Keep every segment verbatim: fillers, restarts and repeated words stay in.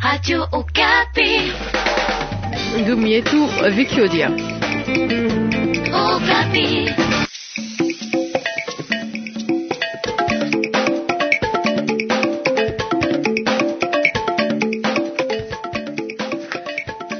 Radio Okapi. Ndumu yetu Vicky Odia. Okapi.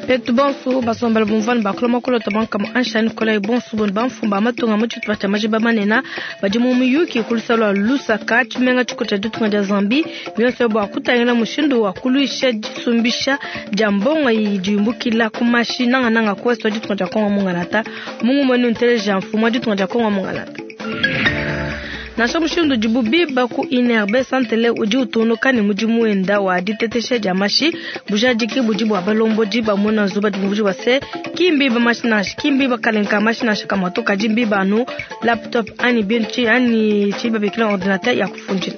Petu bonso basombela bumvani bakuloma kulota bankama anshani kola bonso boni bamfumba matunga mu tshitupa tshia majiba manene badi mu muyuki ku lua Lusaka tshimenga tshikulu tshia ditunga dia Zambie bionso bua kutangila mushindu wa kuluisha disumbisha dia mbongo idi yumbukila ku mashi nangananga ku ouest wa ditunga dia Kongo mungalata mungu mwenu nteleja mfumu wa ditunga dia Kongo mungalata. Nansha mushindu udibu biba ku I N R B Santele udi utunuka ne mudimu wenda wa ditetesha dia mashi bujadiki budi bua balombodi bamona nzuba dimuji wa se kimbi ba mashi nansha kimbi bakalenka mashi nansha kamato kadi mbiba anu laptop ani bintu ani tshiba bikila ordinateur ya kufundila.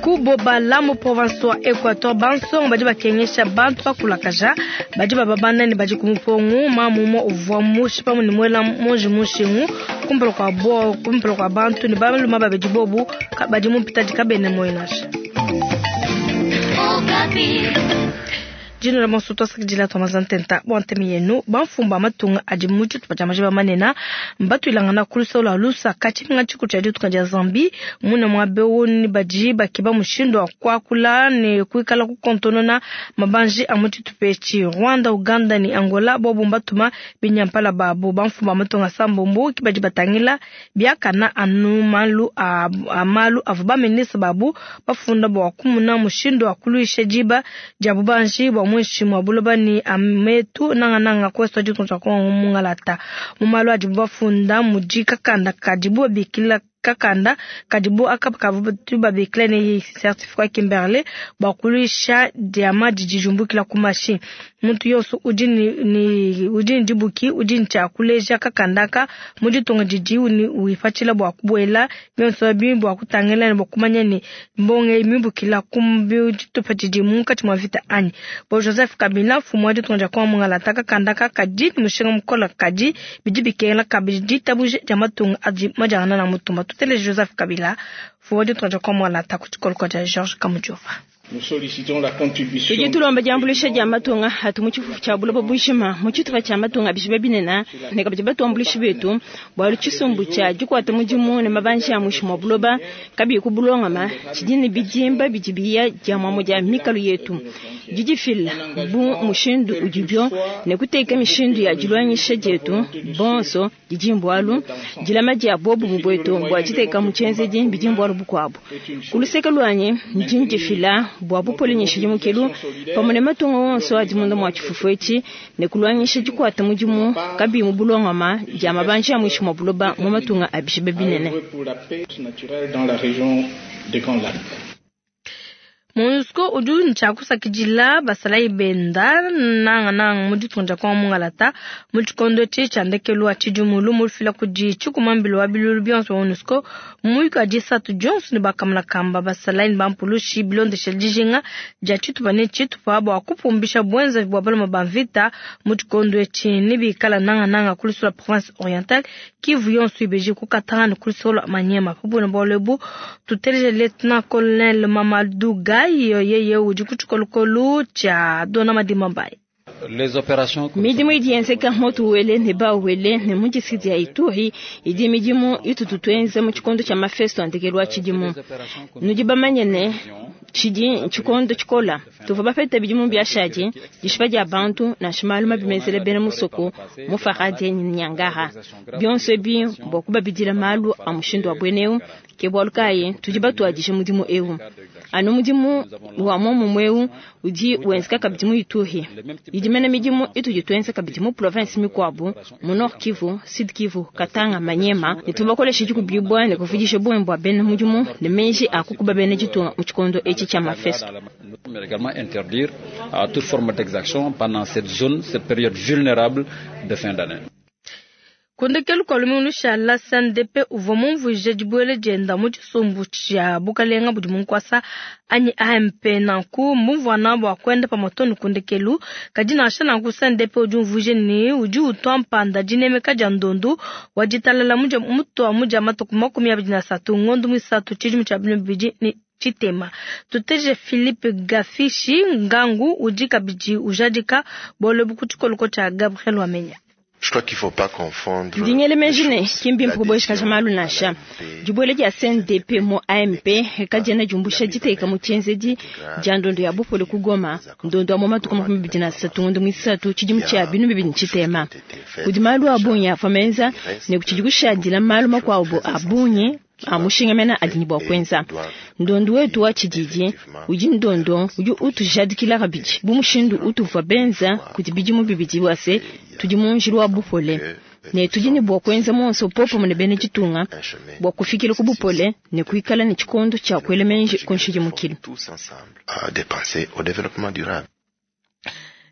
Kuboba mu province wa Equateur bansonga badi bakengesha bantu bakulakaja badi bababanda ne badi kumupongu mamumo uvua mushipa ne muela monji mushingu kumpala kwa bo kumpala kwa bantu ne baluma babedi bobu badi mu mpitadi kabene moinasha. Jino la monso twasakidila twamazantenta bwantemi yenu bamfumba matunga adi mu tshitupa tshia majiba manene mbatuilangana ku lusolo lua Lusaka tshimenga tshikulu tshia ditunga dia Zambie mune muaba eu ne badi bakeba mushindu wa kuakula ne kuikala kukontonona mabanji a mu tshitupa etshi. Rwanda, Uganda ne Angola bobu mbatuma binyampala babo bamfumba matunga sambombo ki badi batangila biakana anu malu a, a malu avua bamenesa babu bafunda bua kumuna mushindu wa kuluisha diba dia bubanji bua muinshi mwa buloba ni ametu nangananga ku ouest wa ditunga dia Kongo mungalata. Mu malu adibu bafunda mudi kakanda kadibu babikila kakanda kadibu akapa kavutu babikila ne certificat Kimberley bua kuluisha diama didi diumbukila ku mashi. Muntu yonso udi ni, ni, udi ni dibuki udi ni tshia kuleja kakandaka mu ditunga didi uni wipatshila bua kubuela bionso abi bua kutangila ne bua kumanya ne mbonge mimbukila ku tshitupa tshidi munkatshi mua vita anyi. Bo Joseph Kabila mfumu wa ditunga dia Kongo mungalata kakandaka kadi ni mushinga mukola kadi bidi bikengela kabidi ditabuja dia matunga adi madiangana na mutumba. Tutele Joseph Kabila mfumu wa ditunga dia Kongo mungalata ku tshikoloko tshia Georges Kamujova. Nous sollicitons la contribution Tudi tulomba diambuluisha dia matunga atu mu tshifufu tshia buloba bujima mu tshitupa tshia matunga bishiba binene ne kabidi batuambuluishi betu bualu tshisumbu tshia dikuata mudimu ne mabanji a muinshi mua buloba kabiyi ku bulongama tshidi ne bidimba bidi biya dia muamu dia mikalu yetu didifila bu mushindu udibio ne kuteka mishindu ya diluangisha dietu bonso didi mbualu dilama dia bobu mu bwetu bua diteka mu tshienzedi bidi mbualu bukuabu ku luseke luanyi ndi ndifila bua bupolinyisha dimukelu pamue ne matunga wonso adi munda mua tshifufu etshi ne kulwangisha dikuata mudimu kabiyi mu bulongama dia mabanji a muinshi mua buloba mu matunga a bishiba binene. MONUSCO udi ntshia kusakidila basalayi benda nangananga mu ditunga dia Kongo mungalata mu tshikondo etshi tshia ndekelu wa tshidimu lumu lufila kudi tshikumambilo wa bilulu bionso bia MONUSCO muyuki wa disatu dionso ne bakamalakamba basalayi ne bampulushi bilondesha dijinga dia tshitupa ne tshitupa bua kupumbisha buenzavi bua baluma ba mvita mu tshikondo etshi ne bikala nangananga ku lusolo lua province orientale Kivu yonso ibeji ku Katanga ne ku lusolo lua Maniema. Pabuna bualu ebu tuteleje Lieutenant Colonel Mamadou Gaye yeye udi ku tshikolokolo tshia Dona Madima Mbaye. Les opérations que Midimu idi yenzeka moto wele ne ba wele ne mu district ya Ituri idi midimu itutu tuenze mu tshikondo tshia mafesto a ndekelu wa tshidimu. Nudi bamanye ne tshidi tshikondo tshikola tuvua bapete bidimu biashadi dishipa dia bantu nansha malu mabi menzele bena musoko mu Faradie ne Nyangara bionso ebi bua kubabidila malu a mushindu wa bweneu ke bualu kayi tudi batuadije mudimu eu anu mudimu wa momumue eu udi wenzeka kabidi mu Ituri idi mene midimu itudi tuenza kabidi mu province mikuabu mu Nord Kivu, Sud Kivu, Katanga, Maniema ne tubakolesha dikubibwa ne kuvudisha buembe bua bena mudimu ne meji a kukuba bena ditunga mu tshikondo etshi tshia mafesto. Mais également interdire à toute forme d'exaction pendant cette zone, cette période vulnérable de fin d'année. Kundekelu kwa lumingu lushala C N D P uvua mumvuije dibuela dienda mu tshisumbu tshia bukalenga budi mu nkuasa anyi A M P nanku mumvuana bua kuenda pa matonu kundekelu kadi nansha nanku C N D P udi umvuije ne udi utua mpanda dinemeka dia ndondu wa ditalala mudia mutua mudia matuku makumi abidi na asatu ngondo muisatu tshidimu tshia bibidi ne tshitema. Tuteje Philippe Gafishi Ngangu udi kabidi ujadika bualu ebu ku tshikoloko tshia Gabriel Wamenya. Ndi ngela meji ne ki mbimpe kubuejakaja malu nansha. Dibuela dia C N D P mu A M P kadiena diumbusha diteka mu tshienzedi dia ndondo ya bupole ku Goma, ndondo wa mu matuku makumi abidi na asatu ngondo muisatu tshidimu tshia binu bibidi ne tshitema. Kudi malu a bungi avua menza ne kutshidi kushadila malu makuabu a bungi a mushinga mena adi ne bua kuenza. Ndondo wetu wa tshididi udi ndondo udi utujadikila kabidi bu mushindu utuvua benza kudi bidimu bibidi bua se tudi mu njila wa bupole ne tudi ne bua kuenza muonso popamue ne bena ditunga bua kufikila ku bupole ne kuikala ne tshikondo tshia kuela meji ku nshidimukilu.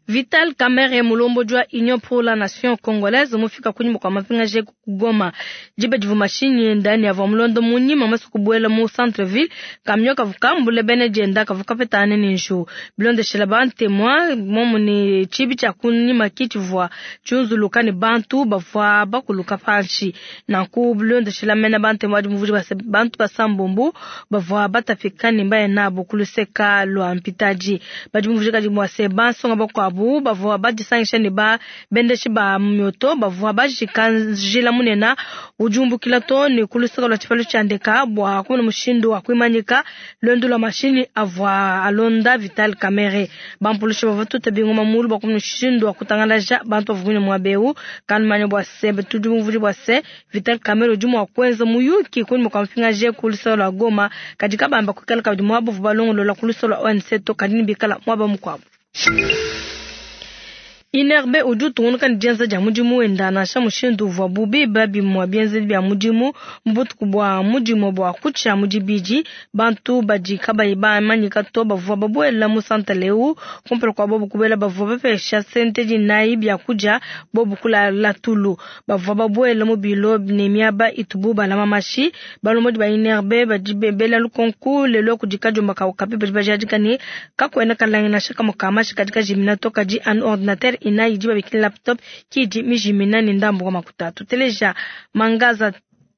Vital Kamerhe mulombodi wa Union pour la Nation Congolaise mufika kunyima kwa mapingaje ku Goma. Diba divua mashinyi enda ne avua mulondo munyima mase kubuela mu centre ville kamio kavua kambule bene dienda kavua kapetane ne nju. Bilondeshela ba témoin momu ne tshibi tshia kunyima ki tshivua tshiunzuluka ne bantu bavua bakuluka panshi. Nanku bilondeshela mena ba témoin adi muvudi base bantu basambombo bavua batapika ne mbaye nabo ku luseka lua mpitaji. Badi muvudi kadi mwase bansonga bakuabu bavua badisangisha ne ba bendeshi ba mioto bavua bajika njila munena ujumbukila to ne ku luseka lua tshipalu tshia ndeka bua kumona mushindu wa kuimanyika luendu lua mashinyi avua alonda Vital Kamerhe. Bampulushi bavua tuta bingoma mulu bua kumona mushindu wa kutangalaja bantu bavua muaba eu. Kanumanya bua se tudi muvudi bua se Vital Kamerhe udi mua kuenza muyuki kunyima kua mupingaje ku luseka lua Goma kadi kabamba kuikala kabidi muaba bavua balongolola ku luseka lua O N C to kadi ne bikala muaba mukuabu. I N R B udi utungunuka ne dienza dia mudimu wenda nansha mushindu uvua bubi bimue bienzedi bia mudimu mu butuku bua mudimu bua kutshia mu dibidi. Bantu badi kabayi bamanyika to bavua babuela mu santale eu kumpala kua bobu kubuela bavua bapesha sente dinayi bia kudia bobu kulala tulu. Bavua babuela mu bilo ne miaba itubu balama mashi. Balombodi ba I N R B badi bela lukonku lelo kudi kadiomba ka Okapi badi bajadika ne kakuena kalangi nansha kamue ka mashi kadi kajimina to kadi anu ordinateur ina idi babikila laptop kidi mijimina ne ndambu wa makuta. Tuteleja Mangaza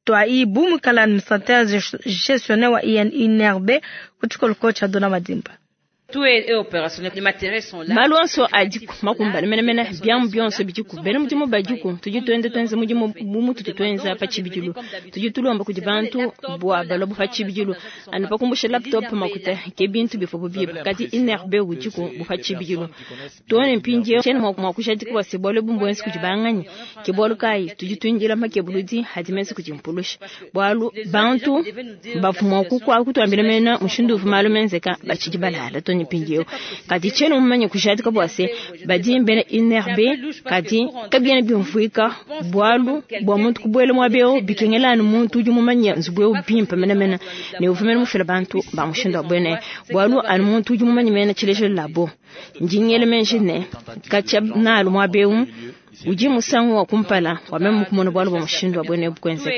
Twaibu mukala administrateur gestionnaire wa I N R B ku tshikoloko tshia Dona Madimba. Malu onso adiku makumbane menemene biamu bionso bidiku bena mudimu badiku tudi tuenda tuenza mudimu bu mututu tuenza pa tshibidilu tudi tulomba kudi bantu bua balobo pa tshibidilu anu pa kumbusha laptop makuta ke bintu bivua biba kadi I N R B udiku bu pa tshibidilu tuone mpindiewu tshiena mua kujadika bua se bualu ebu mbuenza kudi banganyi ke bualu kayi tudi tuindila makebuludi adi menza kudi mpulusha bualu bantu bavua mua kutuambila mena mushindu uvua malu menzeka batshidi balala to mpindiewu kadi tshiena mumanye kujadika bua se badi mbena I N R B kadi kabiena bimvuika bualu bua muntu kubuela muaba eu bikengela anu muntu udi mumanye nzubu eu bimpe menemene ne uvua mene mufila bantu ba mushindu wa buena bualu anu muntu udi mumanye mena tshilejelo labo ndi ngela meji ne katshia nalu muaba eu udi musangu wa kumpala wa meme kumona bualu bua mushindu wa buena bukwenzeka.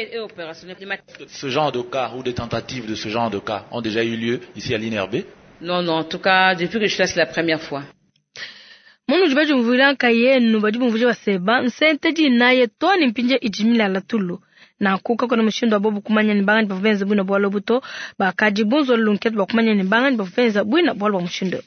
Ce genre de cas ou des tentatives de ce genre de cas ont déjà eu lieu ici à l'I N R B? Non, non, en tout cas, depuis que je suis là, c'est la première fois. Munu badi bumvuila nkayenu badi bumvuija baseba nsente dinaye toni mpinje ijimila tulu. Nanku kakona mushindu wa bobu kumanya ni bangani bavua benza bwina bualu buto bakadi bunzo lunketu bua kumanya ni bangani bavua benza bwina bualu bua mushindu.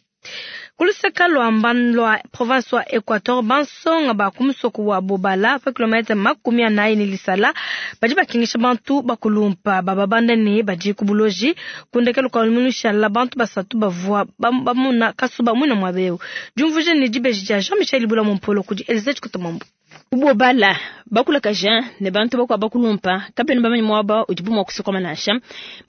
Kuluseka lwa lwa province wa Equateur bansonga ba kumusoko wa Bobala pa kilomètre makumi anayi ne lisala badi bakingisha bantu bakulumpa bababanda ne badi ku buloji kundekelu kwa lumunushala bantu basatu bavua bamuna kasuba mwina mwabeu diumvuje ne dibeji dia Jean-Michel Ibula Mompolo kudi Elisabeth Kutomambo. Bobala bakulakaja ne bantu bakwa bakulumpa kapena bamanye mwaba udi bumwa kusokoma nansha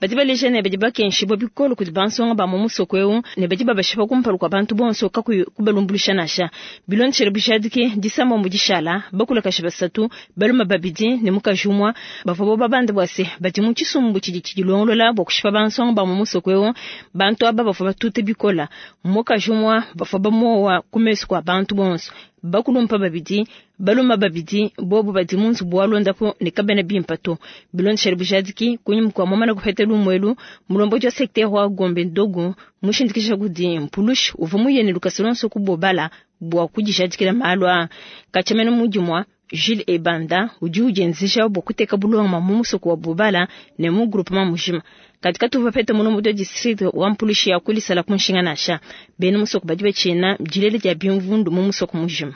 badi baleja ne badi bakenshibwa bikolo kudi bansonga ba mu musoko eu ne badi babashipa kumpala kwa bantu bonso kakuyi kubalumbulisha nansha bilondeshele bujadiki disamba mu dishala bakulakaja basatu baluma babidi ne mukaji umwe bavua bo babanda bua se badi mu tshisumbu tshidi tshidilongolola bua kushipa bansonga ba mu musoko eu bantu aba bavua batute bikola mukaji umwe bavua bamowa ku mesu kua bantu bonso bakulumpa babidi baluma babidi bobu badi mu nzubu wa londapo ne kabena bimpa to bilondeshele bujadiki kunyima kua momana kupeta lumwelu mulombodi wa secteur wa Gombe Ndogo mushindikisha kudi mpulushi uvua muyene lukasa lonso ku Bobala bua kudijadikila malu aa katshia mene mudimua Jules Ebanda udi udienzeja bua kuteka bulongama mu musoko wa Bobala ne mu groupement mujima. Katika tuvua pete mulombodi wa district wa mpulushi ya kulisala ku nshinga nansha. Bena musoko badi batshina dilele dia bimvundu mu musoko mujima.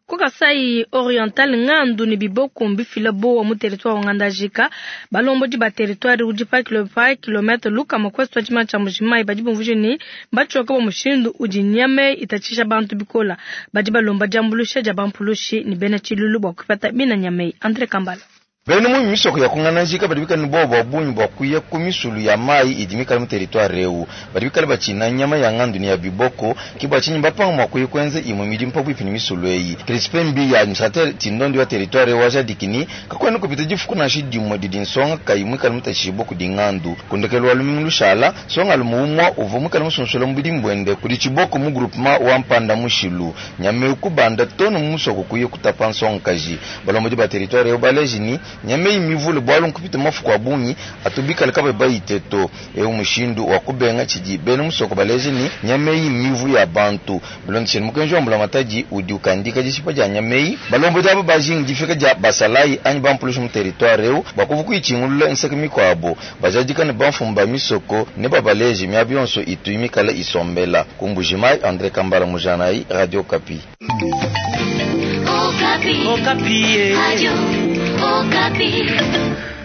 Ku Kasai Oriental ngandu ne biboko mbifila bowa mu territoire wa Ngandajika. Balombodi ba territoire udi pa kilo pa kilomètre lukama ku ouest wa tshimana tshia Mbujimayi badi bumvuija ne batshioka bua mushindu udi nyama itatshisha bantu bikola. Badi balomba diambuluisha dia bampulushi ne bena tshilulu bua kupata bina nyama eyi. Andre Kambala. Bena mu misoko ya kungana-njika badi bikale ne buowa bua bungi bua kuya ku misulu ya mayi idi mikale mu territoire eu. Badi bikale batshina nyama ya ngandu ne ya biboko, ke bua tshinyi bapanga mua kuya kuenza imue midimu pabuipi ne misulu eyi. Crispin Mbiya, administrateur tshindondi wa territoire eu wa jadikini, kakuena kupita difuku nansha dimue didi nsonga kayi muikale mutashibue kudi ngandu. Ku ndekelu wa lumingu lushala, nsonga alume umue uvua muikale musunsuela mu budimu buende kudi tshiboko mu groupement wa Mpanda Mushilu. Nyama eu kubanda too ne mu musoko kuya kutapa nsongakaji. Balombodi ba territoire eu baleji ni nyama eyi mivule bualu nkupita mafuku a bungi atu bikale kabayi bayite to. Eu mushindu wa kubenga tshidi bena musoko baleje ni nyama eyi mivu ya bantu. Bilondeshile mukenji wa mbulamatadi udi ukandika dishipa dia nyama eyi, balombodi aba bajinga difika dia basalayi anyi bampulushi mu territoire eu bakuvu kuyitshingulula nseke mikuabo. Bajadika ne bamfumu ba misoko ne babaleje miaba yonso itu mikale isombela. Ku Mbujimayi, Andre Kambala Mujanayi, Radio Okapi. Okapi. Okapi. Radio Okapi.